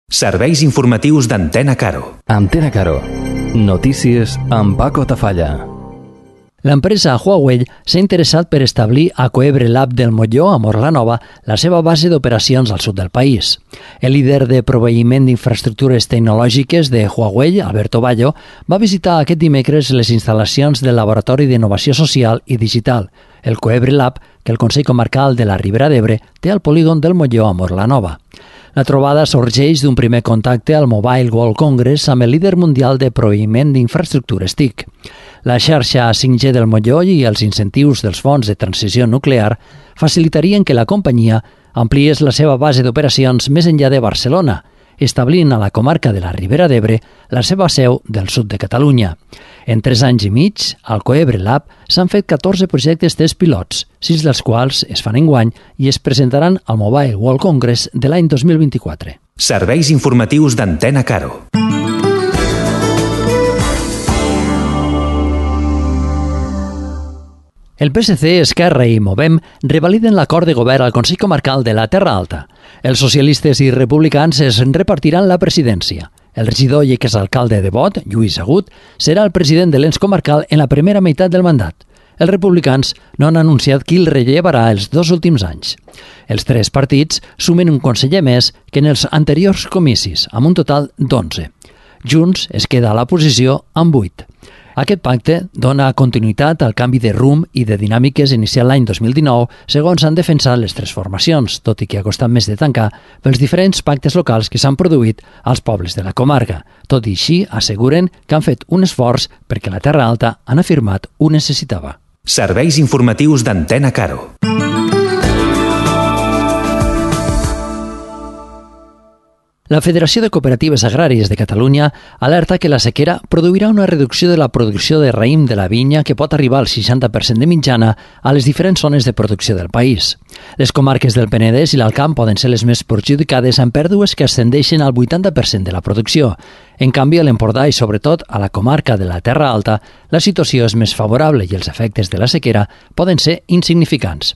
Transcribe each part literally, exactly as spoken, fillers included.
Serveis informatius d'Antena Caro. Antena Caro. Notícies amb Paco Tafalla. L'empresa Huawei s'ha interessat per establir a Coebre Lab del Molló, a Morlanova, la seva base d'operacions al sud del país. El líder de proveïment d'infraestructures tecnològiques de Huawei, Alberto Bayo, va visitar aquest dimecres les instal·lacions del Laboratori d'Innovació Social i Digital, el Coebre Lab, que el Consell Comarcal de la Ribera d'Ebre té al polígon del Molló a Morlanova. La trobada sorgeix d'un primer contacte al Mobile World Congress amb el líder mundial de proveïment d'infraestructures T I C. La xarxa cinc G del Molló i els incentius dels fons de transició nuclear facilitarien que la companyia ampliés la seva base d'operacions més enllà de Barcelona, establint a la comarca de la Ribera d'Ebre la seva seu del sud de Catalunya. En tres anys i mig, al Coebre Lab s'han fet catorze projectes test pilots, sis dels quals es fan enguany i es presentaran al Mobile World Congress de l'any dos mil vint-i-quatre. Serveis informatius d'Antena Caro. El P S C, Esquerra i Movem revaliden l'acord de govern al Consell Comarcal de la Terra Alta. Els socialistes i republicans es repartiran la presidència. El regidor i exalcalde de Bot, Lluís Agut, serà el president de l'ens comarcal en la primera meitat del mandat. Els republicans no han anunciat qui el rellevarà els dos últims anys. Els tres partits sumen un conseller més que en els anteriors comicis, amb un total d'onze. Junts es queda a la posició amb vuit. Aquest pacte dona continuïtat al canvi de rumb i de dinàmiques iniciat l'any dos mil dinou, segons han defensat les tres formacions, tot i que ha costat més de tancar pels diferents pactes locals que s'han produït als pobles de la comarca. Tot i així, asseguren que han fet un esforç perquè la Terra Alta han afirmat ho necessitava. Serveis informatius d'Antena Caro. La Federació de Cooperatives Agràries de Catalunya alerta que la sequera produirà una reducció de la producció de raïm de la vinya que pot arribar al seixanta per cent de mitjana a les diferents zones de producció del país. Les comarques del Penedès i l'Alt Camp poden ser les més perjudicades amb pèrdues que ascendeixen al vuitanta per cent de la producció. En canvi, a l'Empordà i sobretot a la comarca de la Terra Alta, la situació és més favorable i els efectes de la sequera poden ser insignificants.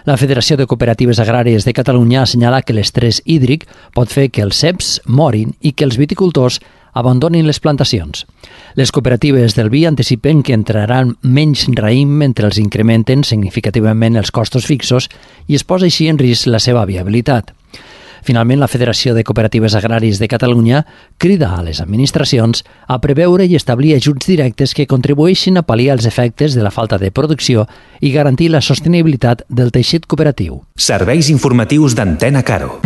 La Federació de Cooperatives Agràries de Catalunya assenyala que l'estrès hídric pot fer que els ceps morin i que els viticultors abandonin les plantacions. Les cooperatives del vi anticipen que entraran menys raïm mentre els incrementen significativament els costos fixos i es posa així en risc la seva viabilitat. Finalment, la Federació de Cooperatives Agràries de Catalunya crida a les administracions a preveure i establir ajuts directes que contribueixin a pal·liar els efectes de la falta de producció i garantir la sostenibilitat del teixit cooperatiu. Serveis informatius d'Antena Caro.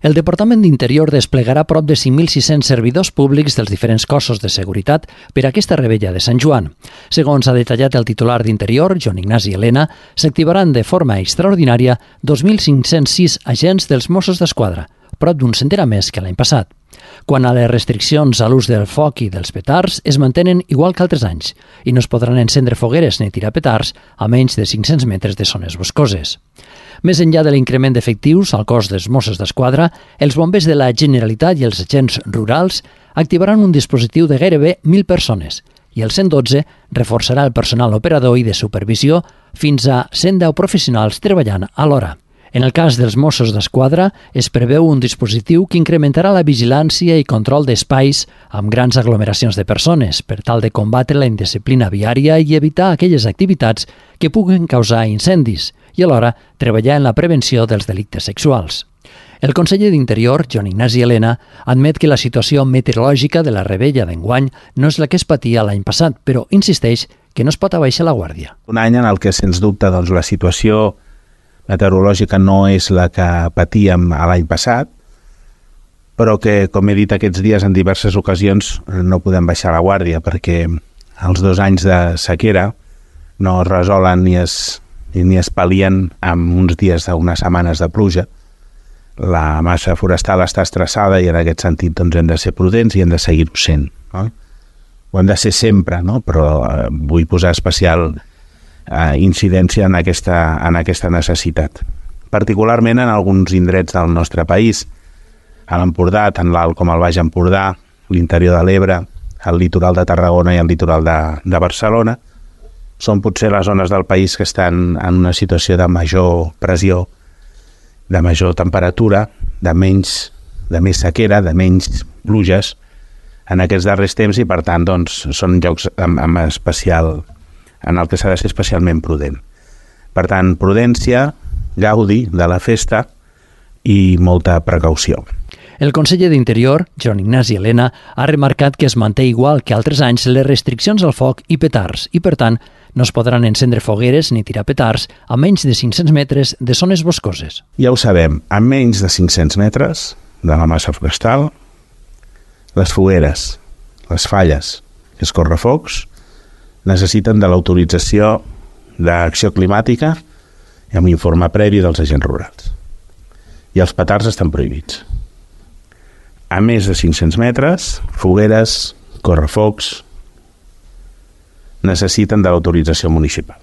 El Departament d'Interior desplegarà prop de cinc mil sis-cents servidors públics dels diferents cossos de seguretat per a aquesta revetlla de Sant Joan. Segons ha detallat el titular d'Interior, Joan Ignasi Elena, s'activaran de forma extraordinària dos mil cinc-cents sis agents dels Mossos d'Esquadra, prop d'un centenar més que l'any passat. Quant a les restriccions a l'ús del foc i dels petards, es mantenen igual que altres anys i no es podran encendre fogueres ni tirar petards a menys de cinc-cents metres de zones boscoses. Més enllà de l'increment d'efectius al cos dels Mossos d'Esquadra, els bombers de la Generalitat i els agents rurals activaran un dispositiu de gairebé mil persones i el cent dotze reforçarà el personal operador i de supervisió fins a cent deu professionals treballant alhora. En el cas dels Mossos d'Esquadra, es preveu un dispositiu que incrementarà la vigilància i control d'espais amb grans aglomeracions de persones per tal de combatre la indisciplina viària i evitar aquelles activitats que puguen causar incendis i alhora treballar en la prevenció dels delictes sexuals. El conseller d'Interior, Joan Ignasi Elena, admet que la situació meteorològica de la revetlla d'enguany no és la que es patia l'any passat, però insisteix que no es pot abaixar la guàrdia. Un any en el que, sens dubte, doncs, la situació meteorològica no és la que patíem l'any passat, però que, com he dit aquests dies en diverses ocasions, no podem baixar la guàrdia perquè els dos anys de sequera no es resolen ni es, ni es pal·lien amb uns dies d'unes setmanes de pluja. La massa forestal està estressada i en aquest sentit doncs, hem de ser prudents i hem de seguir-ho sent. No? Ho hem de ser sempre, no? Però eh, vull posar especial eh, incidència en aquesta, en aquesta necessitat. Particularment en alguns indrets del nostre país, a l'Empordà, tant l'Alt com el Baix Empordà, l'interior de l'Ebre, el litoral de Tarragona i el litoral de, de Barcelona, són potser les zones del país que estan en una situació de major pressió, de major temperatura, de menys, de més sequera, de menys pluges en aquests darrers temps i, per tant, doncs, són llocs amb, amb especial, en el que s'ha de ser especialment prudent. Per tant, prudència, gaudi de la festa i molta precaució. El conseller d'Interior, Joan Ignasi Elena, ha remarcat que es manté igual que altres anys les restriccions al foc i petards i, per tant, no es podran encendre fogueres ni tirar petards a menys de cinc-cents metres de zones boscoses. Ja ho sabem, a menys de cinc-cents metres de la massa forestal, les fogueres, les falles i els correfocs necessiten de l'autorització d'acció climàtica i amb informe previ dels agents rurals. I els petards estan prohibits. A més de cinc-cents metres, fogueres, correfocs, necessiten de l'autorització municipal.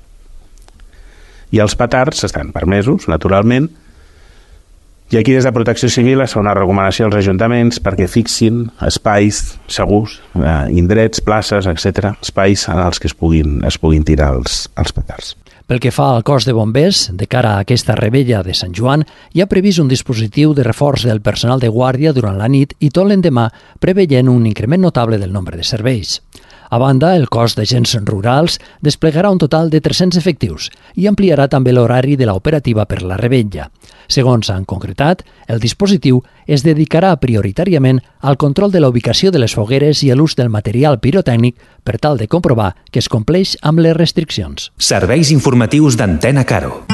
I els petards estan permesos, naturalment, i aquí des de Protecció Civil es fa una recomanació als ajuntaments perquè fixin espais segurs, eh, indrets, places, etcètera, espais en els que es puguin, es puguin tirar els, els petards. Pel que fa al cos de bombers, de cara a aquesta rebella de Sant Joan, hi ha previst un dispositiu de reforç del personal de guàrdia durant la nit i tot l'endemà preveient un increment notable del nombre de serveis. A banda, el cos d'agents rurals desplegarà un total de tres-cents efectius i ampliarà també l'horari de l'operativa per la rebella. Segons han concretat, el dispositiu es dedicarà prioritàriament al control de la ubicació de les fogueres i a l'ús del material pirotècnic per tal de comprovar que es compleix amb les restriccions. Serveis informatius d'Antena Caro.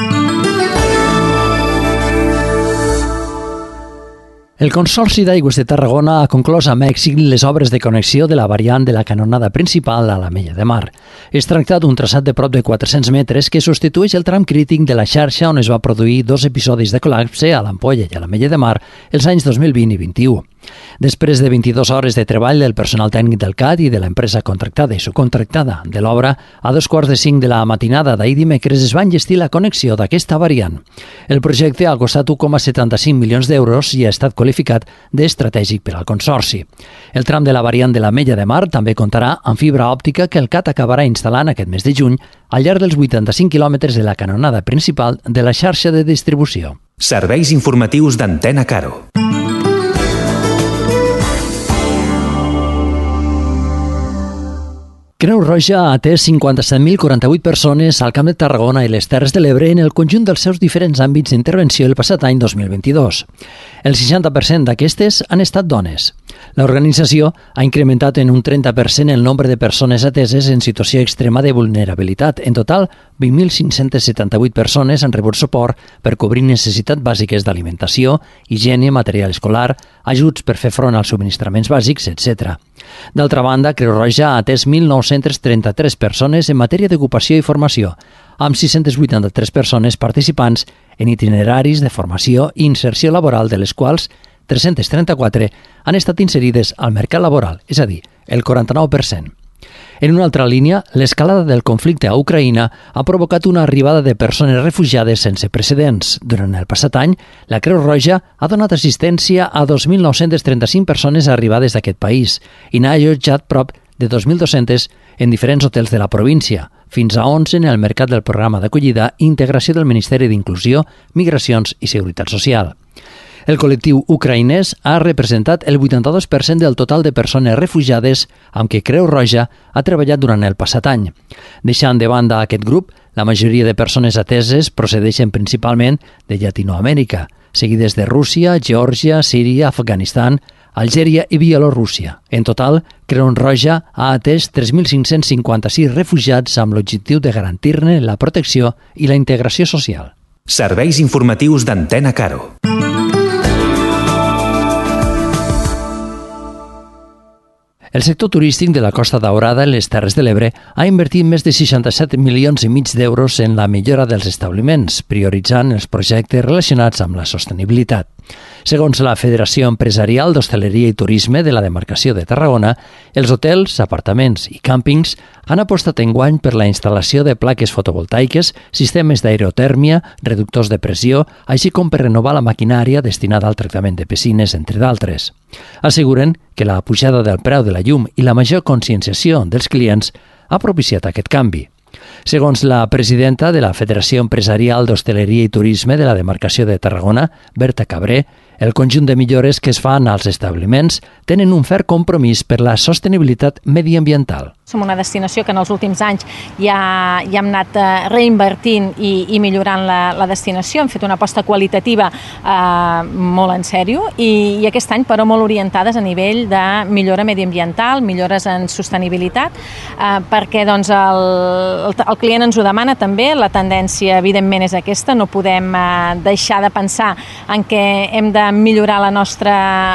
El Consorci d'Aigües de Tarragona ha conclòs amb èxit les obres de connexió de la variant de la canonada principal a l'Ametlla de Mar. Es tracta d'un traçat de prop de quatre-cents metres que substitueix el tram crític de la xarxa on es va produir dos episodis de col·lapse a l'Ampolla i a l'Ametlla de Mar els anys dos mil vint i vint-i-u. Després de vint-i-dues hores de treball del personal tècnic del C A D i de l'empresa contractada i subcontractada de l'obra, a dos quarts de cinc de la matinada d'ahir dimecres es va enllestir la connexió d'aquesta variant. El projecte ha costat un coma setanta-cinc milions d'euros i ha estat qualificat d'estratègic per al Consorci. El tram de la variant de l'Ametlla de Mar també comptarà amb fibra òptica que el C A D acabarà instal·lant aquest mes de juny al llarg dels vuitanta-cinc quilòmetres de la canonada principal de la xarxa de distribució. Serveis informatius d'Antena Caro. Creu Roja ha atès cinquanta-set mil quaranta-vuit persones al Camp de Tarragona i les Terres de l'Ebre en el conjunt dels seus diferents àmbits d'intervenció el passat any dos mil vint-i-dos. El seixanta per cent d'aquestes han estat dones. L'organització ha incrementat en un trenta per cent el nombre de persones ateses en situació extrema de vulnerabilitat. En total, vint mil cinc-cents setanta-vuit persones han rebut suport per cobrir necessitats bàsiques d'alimentació, higiene, material escolar, ajuts per fer front als subministraments bàsics, etcètera. D'altra banda, Creu Roja ha atès mil nou-cents trenta-tres persones en matèria d'ocupació i formació, amb sis-cents vuitanta-tres persones participants en itineraris de formació i inserció laboral, de les quals tres-cents trenta-quatre han estat inserides al mercat laboral, és a dir, el quaranta-nou per cent. En una altra línia, l'escalada del conflicte a Ucraïna ha provocat una arribada de persones refugiades sense precedents. Durant el passat any, la Creu Roja ha donat assistència a dos mil nou-cents trenta-cinc persones arribades d'aquest país i n'ha allotjat prop de dos mil dos-cents en diferents hotels de la província, fins a onze en el mercat del programa d'acollida i integració del Ministeri d'Inclusió, Migracions i Seguretat Social. El col·lectiu ucraïnès ha representat el vuitanta-dos per cent del total de persones refugiades amb què Creu Roja ha treballat durant el passat any. Deixant de banda aquest grup, la majoria de persones ateses procedeixen principalment de Llatinoamèrica, seguides de Rússia, Geòrgia, Síria, Afganistan, Algèria i Bielorússia. En total, Creu Roja ha atès tres mil cinc-cents cinquanta-sis refugiats amb l'objectiu de garantir-ne la protecció i la integració social. Serveis informatius d'Antena Caro. El sector turístic de la Costa Daurada i les Terres de l'Ebre ha invertit més de seixanta-set milions i mig d'euros en la millora dels establiments, prioritzant els projectes relacionats amb la sostenibilitat. Segons la Federació Empresarial d'Hostaleria i Turisme de la demarcació de Tarragona, els hotels, apartaments i càmpings han apostat enguany per la instal·lació de plaques fotovoltaiques, sistemes d'aerotèrmia, reductors de pressió, així com per renovar la maquinària destinada al tractament de piscines, entre d'altres. Asseguren que la pujada del preu de la llum i la major conscienciació dels clients ha propiciat aquest canvi. Segons la presidenta de la Federació Empresarial d'Hostaleria i Turisme de la demarcació de Tarragona, Berta Cabré, el conjunt de millores que es fan als establiments tenen un ferm compromís per la sostenibilitat mediambiental. Som una destinació que en els últims anys ja, ja hem anat reinvertint i, i millorant la, la destinació. Hem fet una aposta qualitativa eh, molt en sèrio i, i aquest any, però, molt orientades a nivell de millora mediambiental, millores en sostenibilitat, eh, perquè doncs, el, el, el client ens ho demana també. La tendència, evidentment, és aquesta. No podem eh, deixar de pensar en què hem de millorar la nostra,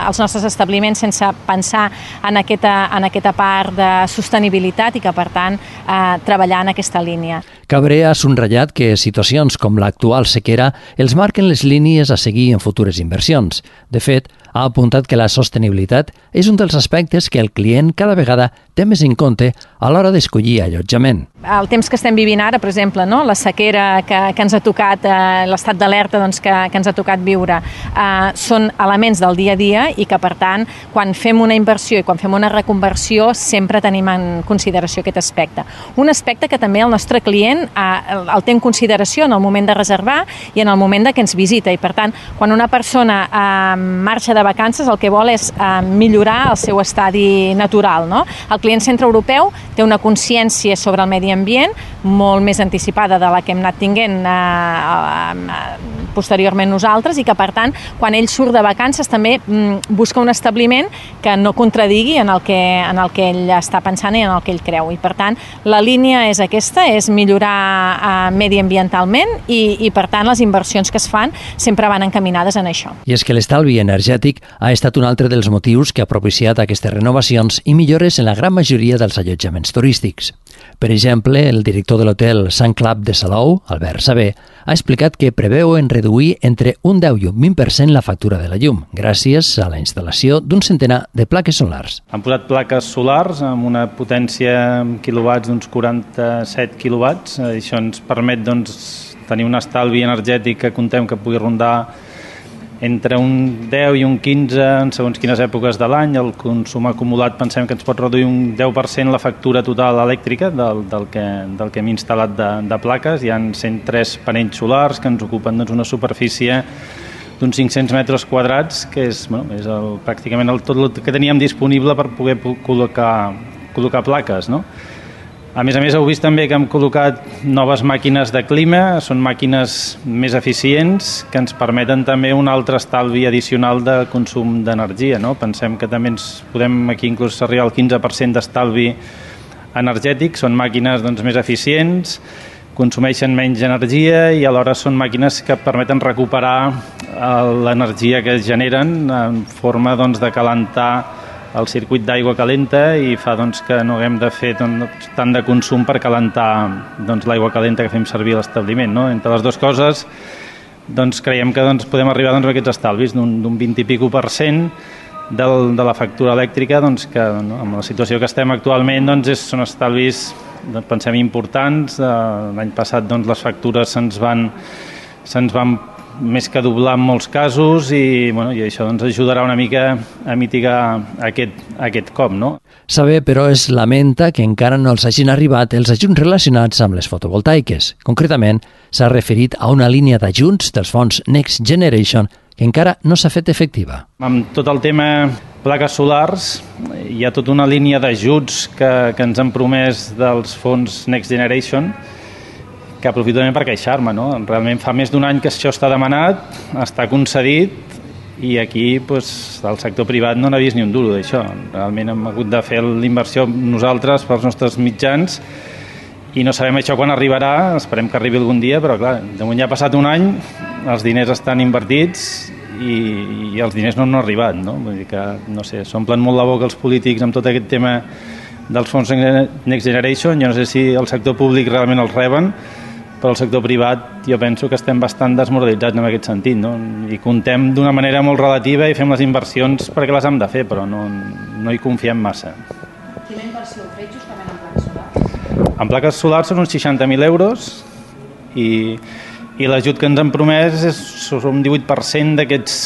els nostres establiments sense pensar en aquesta, en aquesta part de sostenibilitat i que, per tant, eh, treballar en aquesta línia. Cabré ha subratllat que situacions com l'actual sequera els marquen les línies a seguir en futures inversions. De fet, ha apuntat que la sostenibilitat és un dels aspectes que el client cada vegada té més en compte a l'hora d'escollir allotjament. El temps que estem vivint ara, per exemple, no? La sequera que, que ens ha tocat, eh, l'estat d'alerta doncs, que, que ens ha tocat viure, eh, són elements del dia a dia i que, per tant, quan fem una inversió i quan fem una reconversió sempre tenim en consideració aquest aspecte. Un aspecte que també el nostre client eh, el té en consideració en el moment de reservar i en el moment de que ens visita i, per tant, quan una persona eh, marxa de vacances, el que vol és eh, millorar el seu estadi natural, no? El client centreeuropeu té una consciència sobre el medi ambient molt més anticipada de la que hem anat tinguent eh, eh, posteriorment nosaltres i que, per tant, quan ell surt de vacances també mm, busca un establiment que no contradigui en el que, en el que ell està pensant i en el que ell creu. I, per tant, la línia és aquesta, és millorar eh, mediambientalment i, i, per tant, les inversions que es fan sempre van encaminades en això. I és que l'estalvi energètic ha estat un altre dels motius que ha propiciat aquestes renovacions i millores en la gran majoria dels allotjaments turístics. Per exemple, el director de l'hotel Sant Clap de Salou, Albert Saber, ha explicat que preveuen reduir entre un deu i un vint per cent la factura de la llum, gràcies a la instal·lació d'un centenar de plaques solars. Han posat plaques solars amb una potència en quilowatts d'uns quaranta-set quilowatts. Això ens permet doncs, tenir un estalvi energètic que contem que pugui rondar entre un deu i un quinze en segons quines èpoques de l'any. El consum acumulat pensem que ens pot reduir un deu per cent la factura total elèctrica del, del, que, del que hem instal·lat de, de plaques. Hi ha cent tres panells solars que ens ocupen doncs, una superfície d'uns cinc-cents metres quadrats, que és, bueno, és el, pràcticament el, tot el que teníem disponible per poder col·locar, col·locar plaques, no? A més a més, heu vist també que hem col·locat noves màquines de clima, són màquines més eficients que ens permeten també un altre estalvi addicional de consum d'energia, no? Pensem que també ens podem aquí inclús arribar al quinze per cent d'estalvi energètic, són màquines doncs, més eficients, consumeixen menys energia i alhora són màquines que permeten recuperar l'energia que es generen en forma doncs, de calentar el circuit d'aigua calenta i fa doncs, que no haguem de fer doncs, tant de consum per calentar doncs, l'aigua calenta que fem servir a l'establiment. No? Entre les dues coses doncs, creiem que doncs, podem arribar doncs, a aquests estalvis d'un vint i pico per cent del, de la factura elèctrica doncs, que no, amb la situació que estem actualment doncs, és, són estalvis doncs, pensem importants. L'any passat doncs, les factures se'ns van, se'ns van més que doblar en molts casos i, bueno, i això doncs, ajudarà una mica a mitigar aquest, aquest cop. No? Saber, però, es lamenta que encara no els hagin arribat els ajuts relacionats amb les fotovoltaiques. Concretament, s'ha referit a una línia d'ajuts dels fons Next Generation que encara no s'ha fet efectiva. Amb tot el tema plaques solars, hi ha tota una línia d'ajuts que, que ens han promès dels fons Next Generation, que aprofito també per queixar-me, no? Realment fa més d'un any que això està demanat, està concedit i aquí doncs, el sector privat no n'ha vist ni un duro d'això. Realment hem hagut de fer l'inversió nosaltres pels nostres mitjans i no sabem això quan arribarà, esperem que arribi algun dia, però clar, de moment ja ha passat un any, els diners estan invertits i, i els diners no han arribat, no? Vull dir que, no sé, s'omplen molt la boca els polítics amb tot aquest tema dels fons Next Generation. Jo no sé si el sector públic realment els reben, però el sector privat jo penso que estem bastant desmoralitzats en aquest sentit, no? I contem d'una manera molt relativa i fem les inversions perquè les hem de fer, però no, no hi confiem massa. Quina inversió heu fet justament en plaques solars? En plaques solars són uns seixanta mil euros i, i l'ajut que ens han promès és un divuit per cent d'aquests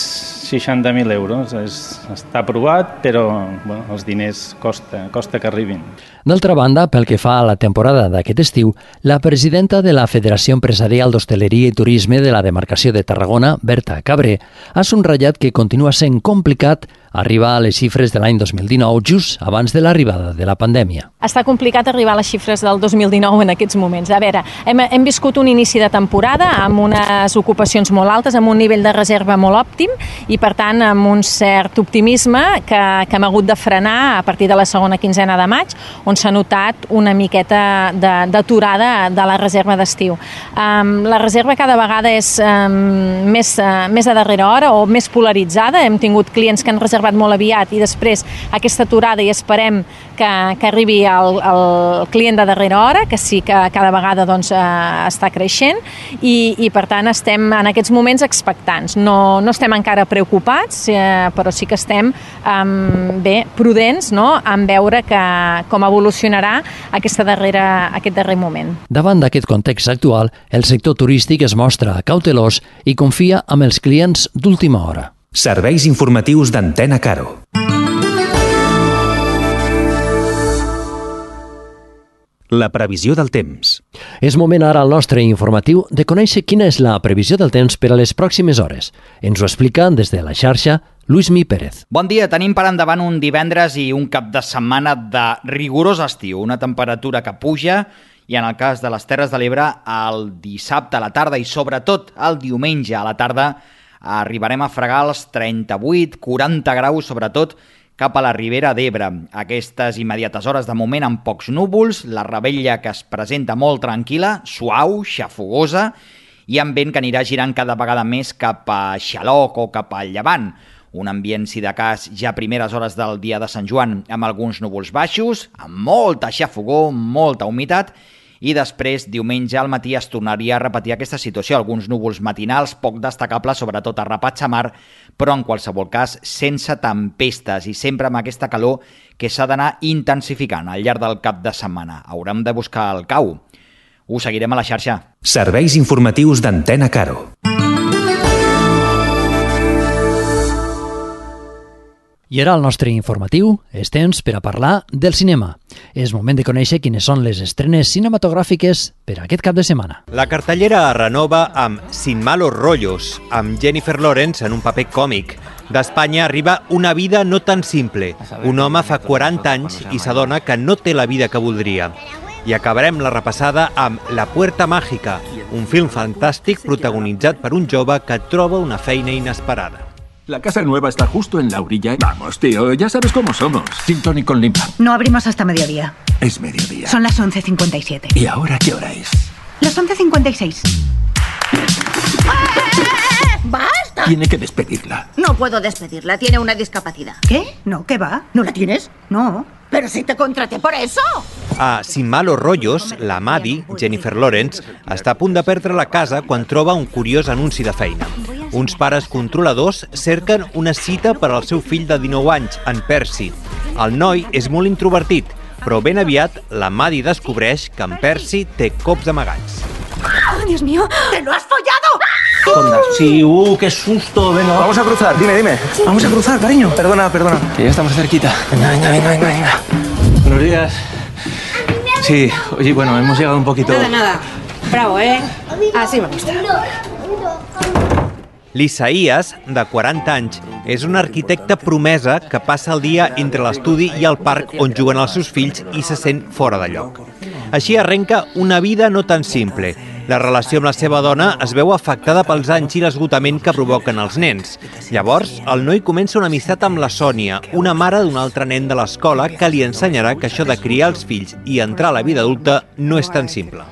seixanta mil euros. És, està aprovat, però bueno, els diners costa, costa que arribin. D'altra banda, pel que fa a la temporada d'aquest estiu, la presidenta de la Federació Empresarial d'Hostaleria i Turisme de la demarcació de Tarragona, Berta Cabré, ha subratllat que continua sent complicat arribar a les xifres de l'any dos mil dinou, just abans de l'arribada de la pandèmia. Està complicat arribar a les xifres del dos mil dinou en aquests moments. A veure, hem, hem viscut un inici de temporada amb unes ocupacions molt altes, amb un nivell de reserva molt òptim i, per tant, amb un cert optimisme que, que hem hagut de frenar a partir de la segona quinzena de maig, on s'ha notat una miqueta d'aturada de, de la reserva d'estiu. Um, la reserva cada vegada és um, més, uh, més a darrera hora o més polaritzada. Hem tingut clients que han reservat molt aviat i després aquesta aturada i esperem que, que arribi el, el client de darrera hora, que sí que cada vegada doncs, eh, està creixent i, i per tant estem en aquests moments expectants. No, no estem encara preocupats, eh, però sí que estem eh, bé, prudents, no?, en veure que, com evolucionarà aquesta darrera, aquest darrer moment. Davant d'aquest context actual, el sector turístic es mostra cautelós i confia en els clients d'última hora. Serveis informatius d'Antena Caro. La previsió del temps. És moment ara al nostre informatiu de conèixer quina és la previsió del temps per a les pròximes hores. Ens ho explica des de la xarxa Luismi Pérez. Bon dia, tenim per endavant un divendres i un cap de setmana de rigorós estiu, una temperatura que puja i en el cas de les Terres de l'Ebre el dissabte a la tarda i sobretot el diumenge a la tarda arribarem a fregar els trenta-vuit quaranta graus, sobretot cap a la Ribera d'Ebre. Aquestes immediates hores de moment amb pocs núvols, la revetlla que es presenta molt tranquil·la, suau, xafogosa i amb vent que anirà girant cada vegada més cap a Xaloc o cap al Llevant. Un ambient, si de cas, ja a primeres hores del dia de Sant Joan amb alguns núvols baixos, amb molta xafogor, molta humitat, i després, diumenge al matí, es tornaria a repetir aquesta situació. Alguns núvols matinals poc destacables, sobretot a Rapatxa Mar, però en qualsevol cas sense tempestes i sempre amb aquesta calor que s'ha d'anar intensificant al llarg del cap de setmana. Haurem de buscar el cau. Ho seguirem a la xarxa. Serveis informatius d'Antena Caro. I ara el nostre informatiu és temps per a parlar del cinema. És moment de conèixer quines són les estrenes cinematogràfiques per a aquest cap de setmana. La cartellera es renova amb Sin malos rollos, amb Jennifer Lawrence en un paper còmic. D'Espanya arriba Una vida no tan simple. Un home fa quaranta anys i s'adona que no té la vida que voldria. I acabarem la repassada amb La puerta mágica, un film fantàstic protagonitzat per un jove que troba una feina inesperada. La casa nueva está justo en la orilla. Vamos, tío, ya sabes cómo somos. Gin tonic con limpa. No abrimos hasta mediodía. Es mediodía. Son las once cincuenta y siete. ¿Y ahora qué hora es? Las once cincuenta y seis. ¡Basta! Tiene que despedirla. No puedo despedirla, tiene una discapacidad. ¿Qué? No, ¿qué va? ¿No la tienes? No. ¡Pero si te contraté por eso! A Sin malos rollos, la Maddie, Jennifer Lawrence, està a punt de perdre la casa quan troba un curiós anunci de feina. Uns pares controladors cerquen una cita per al seu fill de dinou anys, en Percy. El noi és molt introvertit, però ben aviat la Maddie descobreix que en Percy té cops amagats. ¡Oh, Dios mío! ¡Te lo has follado! Onda, sí, uh, qué susto, venga. Vamos a cruzar, dime, dime. Vamos a cruzar, cariño. Perdona, perdona. Que ya estamos cerquita. Venga, venga, venga, venga, venga. Buenos días. Sí, oye, bueno, hemos llegado un poquito... Nada, nada. Bravo, ¿eh? Así me gusta. L'Isaías, de quaranta anys, és un arquitecte promesa que passa el dia entre l'estudi i el parc on juguen els seus fills i se sent fora de lloc. Així arrenca una vida no tan simple. La relació amb la seva dona es veu afectada pels anys i l'esgotament que provoquen els nens. Llavors, el noi comença una amistat amb la Sònia, una mare d'un altre nen de l'escola que li ensenyarà que això de criar els fills i entrar a la vida adulta no és tan simple.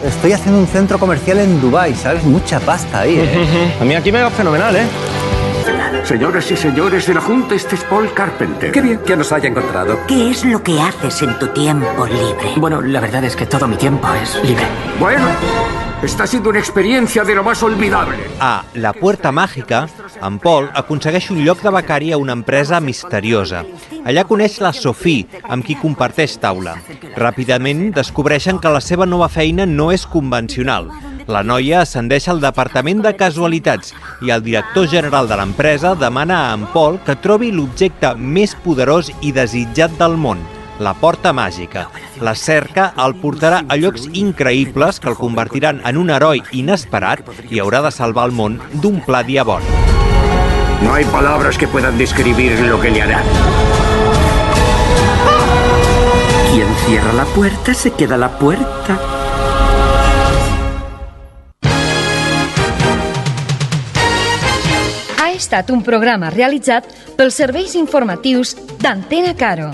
Estoy haciendo un centro comercial en Dubái, ¿sabes? Mucha pasta ahí, ¿eh? A mí aquí me va fenomenal, ¿eh? Señoras y señores de la Junta, este es Paul Carpenter. Qué bien que nos haya encontrado. ¿Qué es lo que haces en tu tiempo libre? Bueno, la verdad es que todo mi tiempo es libre. Bueno, està siendo una experiencia de lo más olvidable. A La puerta mágica, en Paul aconsegueix un lloc de becari a una empresa misteriosa. Allà coneix la Sophie, amb qui comparteix taula. Ràpidament descobreixen que la seva nova feina no és convencional. La noia ascendeix al departament de casualitats i el director general de l'empresa demana a en Paul que trobi l'objecte més poderós i desitjat del món, la porta màgica. La cerca el portarà a llocs increïbles que el convertiran en un heroi inesperat i haurà de salvar el món d'un pla diabòlic. No hay palabras que puedan describir lo que le harán. Quien cierra la puerta se queda la puerta. Ha estat un programa realitzat pels serveis informatius d'Antena Caro.